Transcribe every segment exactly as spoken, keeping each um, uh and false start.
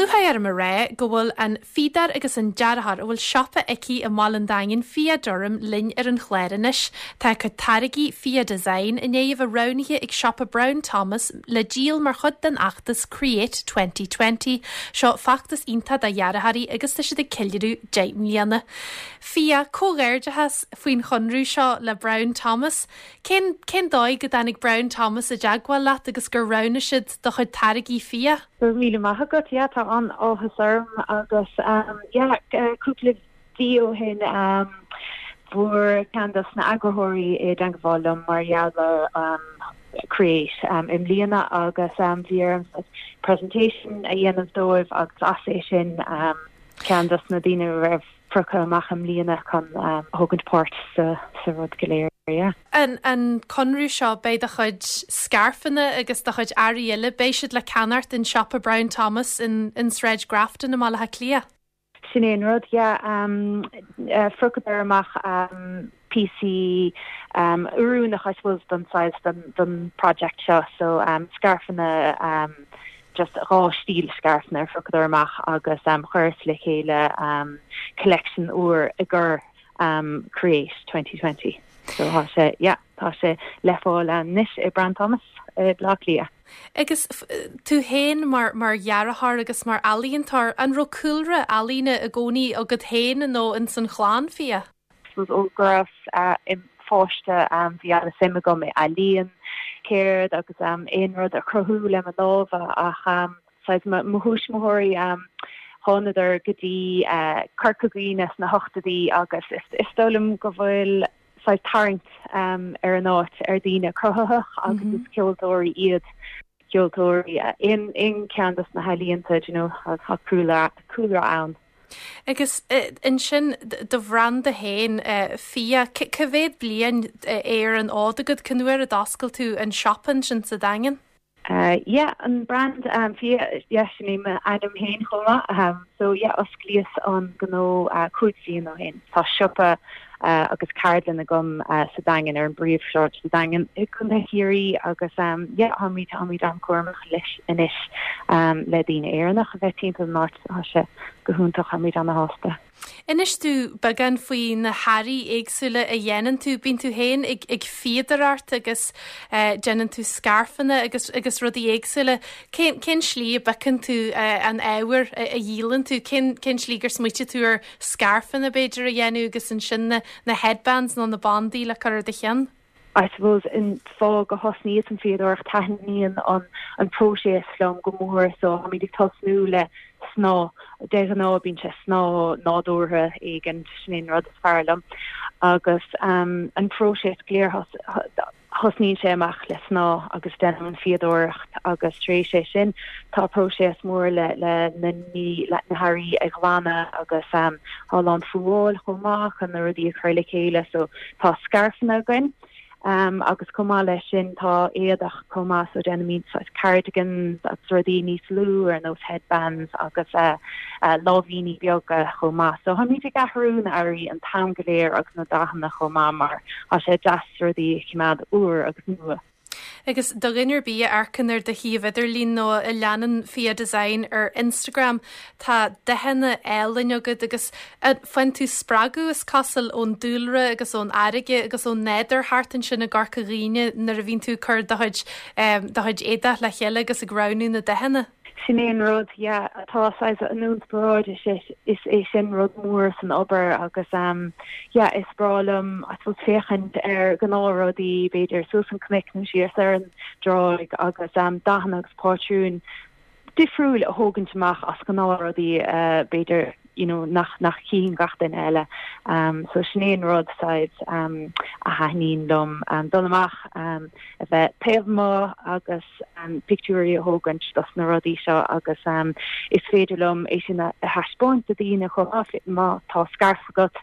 lúcháir orm a rá go bhfuil an fíodóir agus an dearthóir a bhfuil siopa aici i mBaile an Daingin Fia Durham linn ar an chlár anois. Tá cuid táirgí Fia Design i ndiaidh a bheith roghnaithe ag siopa Brown Thomas le díol mar chuid den fheachtas Create twenty twenty. Seo feachtas iontach do dhearthóirí agus tá siad ag ceiliúradh deich mbliana. Fia, comhghairdeachas faoin chonradh seo le Brown Thomas. Cén cén dóigh go dtáinig Brown Thomas i dteagmháil leat agus gur roghnaigh siad do chuid táirgí Fia? Go míle maith agat. Yeah, tá an-áthas orm agus um, yeah, cúpla mí ó shin um, fuair ceann dos na heagarthóirí i dteagmháil liom mar gheall ar um, Create um, i mbliana agus um, bhí orm presentation a dhéanamh dóibh agus as é sin um, ceann dos na daoine raibh pioctha amach i mbliana chun um, thógaint páirt sa, sa rud go léir. Yeah. An, an conradh seo, beidh do chuid scairfeanna agus do chuid earraí eile, beidh siad le ceannacht in siopa Brown Thomas in, in Sráid Grafton i mBaile Átha Cliath. Sin é an rud, yeah, um, uh, phiocadar amach um, píosaí um, oiriúnach, I suppose, don size don, don project seo, so um, scairfeanna, um, just dhá stíl scairfeanna phiocadar amach agus um, chuireas le chéile um, collection úr i gcomhair um, Create twenty twenty. So tá sé, yeah, tá sé le fáil anois i Brown Thomas i Baile Átha Cliath. Agus tú féin mar mar dhearthóir agus mar ealaíontóir, an raibh cúlra ealaíne i gcónaí agat féin nó in san chlann, Fia? Ó go raibh uh, im pháiste um, bhí an-suim agam i ealaín, ceird agus um, aon rud a chruthú le mo lámha ach um, mo thuismitheoirí um, thánadar go dtí uh, Corca Dhuibhne sna hochtóidí agus is, is dóigh liom go bhfuil tarraingt um, ar an áit ar daoine cruthaitheach agus mm -hmm. is ceoltóirí iad, ceoltóirí in in ceann dos na healaíonta you know, tá cúlra cúlra ann. Agus ansin do bhranda féin, Fia, cá mhéad bliain ar an fhód agat? Cén uair a d'oscail tú an siopa sin sa Daingean? Uh, yeah, an brand um, Fia, yeah, sin é ainm féin chomh maith, um, so yeah, osclaíodh an gnó uh, cúig bliana ó shin. Tá siopa uh, agus ceardlann agam uh, sa Daingean, ar an bpríomhshráid sa Daingean i gContae Chiarraí agus um, yeah, táimid táimid an-chúramach leis anois um, le daoine Éireannach a bheith timpeall an áit. Tá sé go hiontach, táimid an-sásta. Inis dúinn beagán faoi na hearraí éagsúla a dhéanann tú. Bíonn tú féin ag, ag fíodóireacht agus uh, déanann tú scairfeanna agus, agus rudaí éagsúla. Cén, cén slí a bpiocann tú uh, an ábhar a, a dhíolann tú? Cén, cén slí gur smaointigh tú ar scairfeanna b'fhéidir a dhéanamh agus ansin na, na headbands nó na bandaí le cur ar do cheann? I suppose an fáth go thosnaíos an fíodóireacht, taitníonn an an próiseas liom go mór, so táimid ag tosnú le snáth. De ghnáth bíonn sé snáth nádúrtha éigin, sin rud is fearr liom agus um, an próiseas go léir, thosnaíonn sé amach le snáth agus déanaim an fíodóireacht agus tar éis é sin tá próiseas mór le le na ní le na hearraí a ghlanadh agus um, tá an fuáil chomh maith chun na rudaí a chur le chéile, so tá scairfeanna againn. Um, agus chomh maith leis sin tá éadach chomh maith, so déanaimid cardigans agus rudaí níos lú ar nós headbands agus uh, uh, lámhainní beaga chomh maith. So táimid ag athrú na hearraí an t-am go léir agus na dathanna chomh maith mar tá sé deas rudaí choimeád úr agus nua. Agus do dhuine ar bith a amharcann ar do shuíomh idirlín nó a leanann Fia Design ar Instagram, tá dathanna álainn agat agus faigheann tú spreagadh, is cosúil, ón dúlra agus ón fharraige agus ón nádúr thart ansin i gCorca Dhuibhne nuair a bhíonn tú cur do chuid do chuid éadach le chéile agus ag roghnú na dathanna. Sin é an rud, yeah, tá an inspioráid is is é sin rud mór san obair agus um, yeah, is breá liom féachaint ar gnáthrudaí, b'fhéidir suas an cnoc nó síos ar an dtráigh agus um, dathanna agus pátrún difriúil a thógaint amach as gnáthrudaí uh, b'fhéidir you know, nach nach cíonn gach duine eile. Um, so sin é an rud said, um, a thaitníonn liom um, dul amach um, a bheith taobh amuigh agus um, pictiúirí a thógaint dos na rudaí seo agus um, is féidir liom é sin a thaispeáint do daoine chomh má tá scairf agat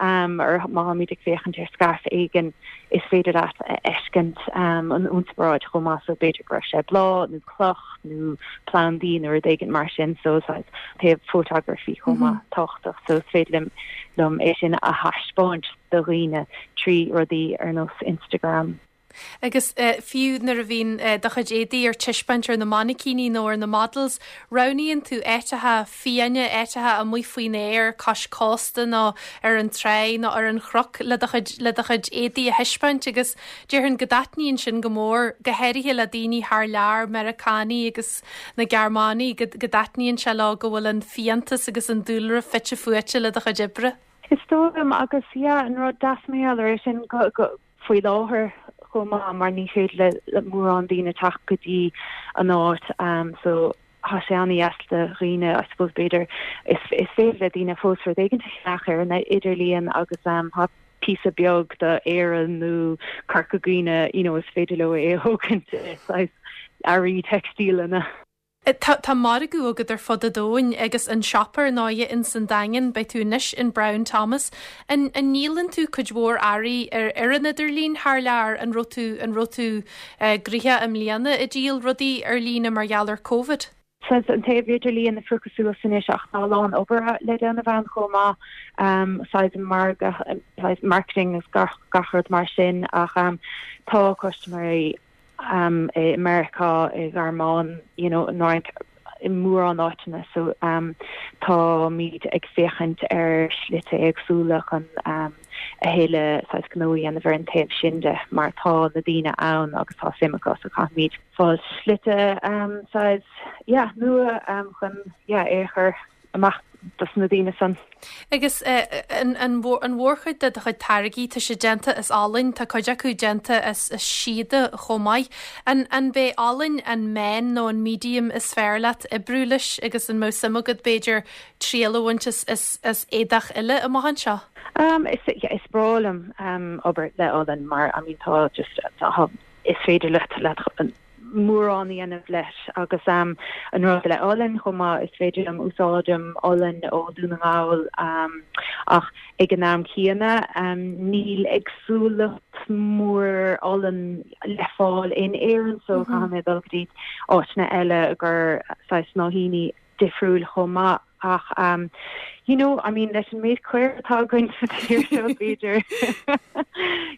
um, ar má ag féachaint ar scairf éigin, is féidir leat a fheiscint um, an inspioráid chomh maith, so b'fhéidir go raibh sé bláth nó cloch nó plandaí nó rud éigin mar sin, so taobh photography chomh maith mm -hmm. tábhachtach, so is féidir liom é sin a thaispeáint do dhaoine trí rudaí ar nós Instagram. Agus uh, fiú nuair a bhíonn uh, do chuid éadaí ar taispeáint ar na mainicíní nó ar na models, roghnaíonn tú áiteacha fiáine áiteacha amuigh faoin aer cois cósta nó ar an trá nó ar an chnoc le do chuid le do chuid éadaí a thaispeáint agus déarfainn go dtaitníonn sin go mór go háirithe le daoine thar lear Meiriceánaigh agus na Gearmánaigh go dtaitníonn sé leo go bhfuil an fiántas agus an dúlra fite fuaite le do chuid oibre. Is dóigh liom agus yeah, an rud deas mar é sin go, go faoi láthair chomh maith mar ní féidir le, le mórán daoine teacht go dtí an áit um, so tá sé an-deas do dhaoine I suppose b'fhéidir is, is féidir le daoine fós rud éigin a cheannach ar an idirlíon agus um, tá píosa beag de Éire nó Corca Dhuibhne you know, is féidir leo é thógaint earraí teicstíleanna. Tá tá margadh agat ar fud an domhain agus an siopa ar ndóigh in san Daingean beidh tú anois in Brown Thomas. An, an ndíolann tú cuid mhór earraí ar ar an idirlíon thar lear an raibh tú an raibh tú uh, gnoitheach i mbliana ag díol rudaí ar líne mar gheall ar COVID? Saghas an taobh idirlíon ag fiuchadh suas anois ach tá a lán obair le déanamh ann chomh maith um, saghas margadh saghas marketing is gach gach rud mar sin ach um, tá custaiméirí um, i America i Gearmáin you know, nóint i mórán áiteanna so um, táimid ag féachaint ar shlite éagsúla chun um, a thuilleadh saghas gnó a dhéanamh ar an taobh sin de mar tá na daoine ann agus tá suim acu so caithfimid fáil slite um, saghas yeah, nua um, chun yeah, é chur amach dos na daoine san. Agus uh, an, an, an mhórchuid de do chuid táirgí tá sé déanta as olann tá cuid acu déanta as, as síoda chomh maith. An, an b'é olann an meán nó an medium is fearr leat oibriú leis agus an mbeadh suim agat b'fhéidir triail a bhaint as, as, as éadach eile amach anseo? Um, is, yeah, is breá liom um, obair le olann mar I mean, tá just tá, is féidir leat le mórán a dhéanamh leis agus um, an rud le olann chomh maith is féidir liom úsáidim olann ó Dhún na nGall um, ach ag an am céanna um, níl éagsúlacht mór olann le fáil in Éirinn so mm -hmm. caithfidh mé dul go dtí áiteanna eile gur saghas snáithíní difriúil chomh maith ach um, you know I mean leis an méid caor atá againn sa tír seo b'fhéidir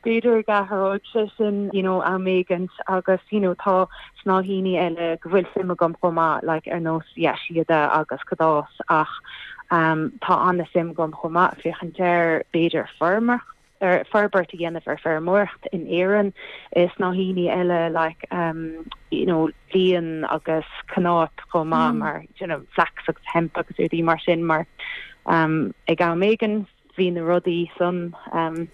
b'fhéidir go n-athróidh sé sin you know am éigin agus you know tá snáithíní eile go bhfuil suim agam chomh maith like ar nós yeah, síoda agus cadás ach um, tá an-suim agam chomh maith féachaint ar b'fhéidir feirmeach ar forbairt a dhéanamh ar feirmeoireacht in Éirinn is snáithíní eile like um, you know, líon agus cnáp chomh maith mm. mar you know, flax agus hemp agus rudaí mar sin mar um, ag am éigin bhí na rudaí san um,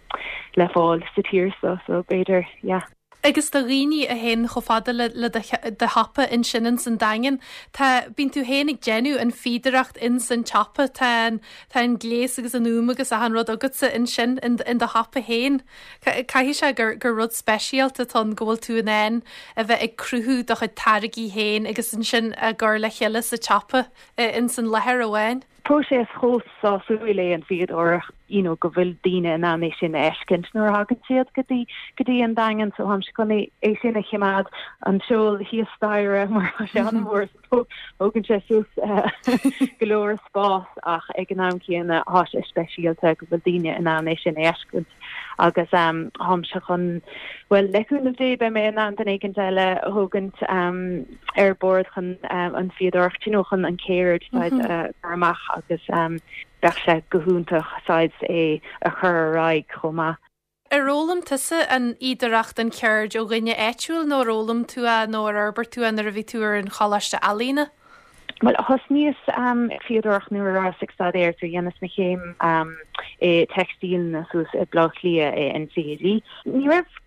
le fáil sa tír so so b'fhéidir yeah. Agus do dhaoine a théann chomh fada le le do shiopa ansin in san Daingean, Tá bíonn tú féin ag déanamh an fhíodóireacht in san tsiopa tá an tá an gléas agus an úm agus achan rud agatsa ansin in, in do shiopa féin. Caithfidh sé gur gur rud speisialta atá go bhfuil tú in ann a bheith ag cruthú do chuid táirgí féin agus ansin a chur le chéile sa tsiopa in san láthair amháin. Próiseas chomh sásúil é an fhíodóireacht you know, go bhfuil daoine in ann é sin a fheiscint nuair a thagann siad go dtí go dtí an Daingean so táimse chun é sin a choimeád an seol thíos staighre mar sé an-mhór thógann sé suas go leor spás ach ag an am céanna tá sé speisialta go bhfuil daoine in ann é sin a fheiscint agus um, táimse chun well le cúnamh Dé beidh mé in ann duine éigin eile a thógaint um, ar bord chun um, an fhíodóireacht you know, chun an ceird mm -hmm. uh, amach agus um, bheadh sé go hiontach saghas é a chur ar aghaidh chomh maith. Ar fhoghlaim tusa an fhíodóireacht an cheird ó dhuine áitiúil nó ar fhoghlaim tú é nó ar fhorbair tú nuair a bhí tú ar an choláiste ealaíne? Well thosnaíos um, fíodóireacht nuair a bhíos ag staidéar so dhéanas mo chéim um, i teicstíleanna suas i Bleá Cliath i NCAD. Ní raibh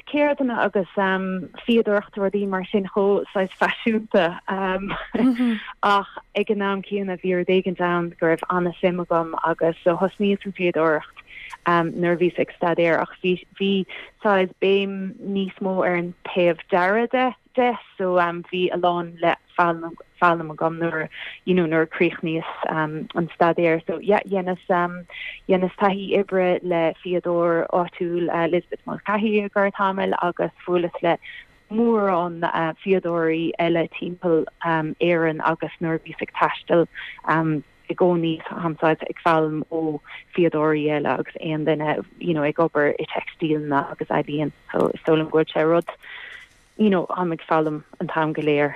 ceirdeanna agus um, fíodóireacht rudaí mar sin chomh saghas faiseanta um, mm -hmm. ach ag an am céanna bhí rud éigin ann go raibh an-suim agam agus so thosnaíos an fhíodóireacht um, nuair a bhíos ag staidéar ach bhí bhí saghas béim níos mó ar an taobh dearaidh de de so um, bhí a lán le foghlaim agam nuair you know nuair chríochnaíos um, an staidéar so yeah, dhéanas um, dhéanas taithí oibre le fíodóir áitiúil uh, Lisbeth Mulcahy go tamall agus bhuaileas le mórán uh, fíodóirí eile timpeall um, Éireann agus nuair bhíos ag taisteal um, i gcónaí táim saghas ag foghlaim ó fíodóirí eile agus aon duine you know ag obair i teicstíleanna agus ealaín so is dóigh liom go bhfuil sé rud you know táim ag foghlaim an t-am go léir.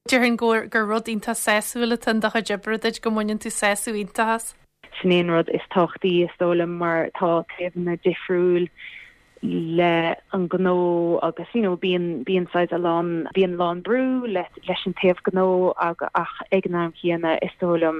Déarfainn gur gur rud iontach sásúil atá i do chuid oibre duit go mbaineann tú sásamh iontach as. Sin é an rud is tábhachtaí is dóigh liom mar tá taobhanna difriúil le an gnó agus you know bíonn bíonn saghas a lán bíonn lán brú le leis an taobh gnó ag ach ag an am céanna is dóigh liom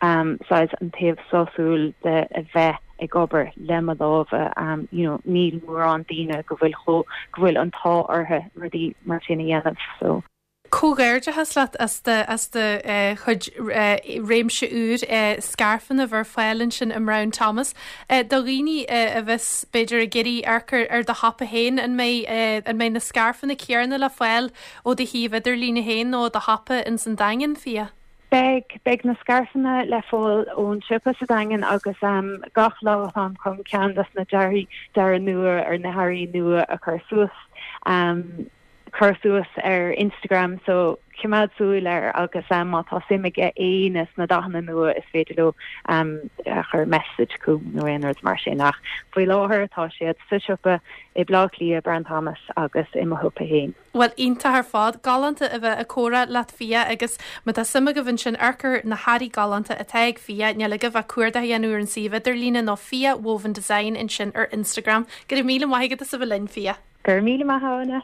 um saghas an taobh sásúil de a bheith ag obair le mo lámha um you know níl mórán daoine go bhfuil go bhfuil an t-ádh orthu rudaí mar sin a dhéanamh so Comhghairdeachas leat as de as de eh, chuid eh, réimse úr eh, scairfeanna ar fáil ansin i mBrown Thomas. Do dhaoine a bheas b'fhéidir ag iarraidh amharc ar do shiopa féin an mbeidh an mbeidh na scairfeanna céanna le fáil ó do shuíomh idirlín féin nó do shiopa in san Daingean Fia. Beidh beidh na scairfeanna le fáil ón siopa sa Daingean agus um, gach lá táim chun ceann des na dearaí dearaí nua ar na hearraí nua a chur suas. Um, chur suas ar Instagram so coimeád súil air agus um, má tá suim ag éinne sna dathanna nua is féidir leo um, chur message chugam nó aon rud mar sin ach faoi láthair tá siad sa siopa i Baile Átha Cliath Brown Thomas agus i mo shiopa féin. Well iontach ar fad galánta a bheith ag comhrá leat Fia agus má tá suim agaibh ansin amharc ar na hearraí galánta atá ag Fia níl agaibh ach cuardach a dhéanamh ar an suíomh idirlín nó Fia Woven Design ansin ar Instagram, Go raibh míle maith agat as a bheith linn Fia. Gur míle maithna.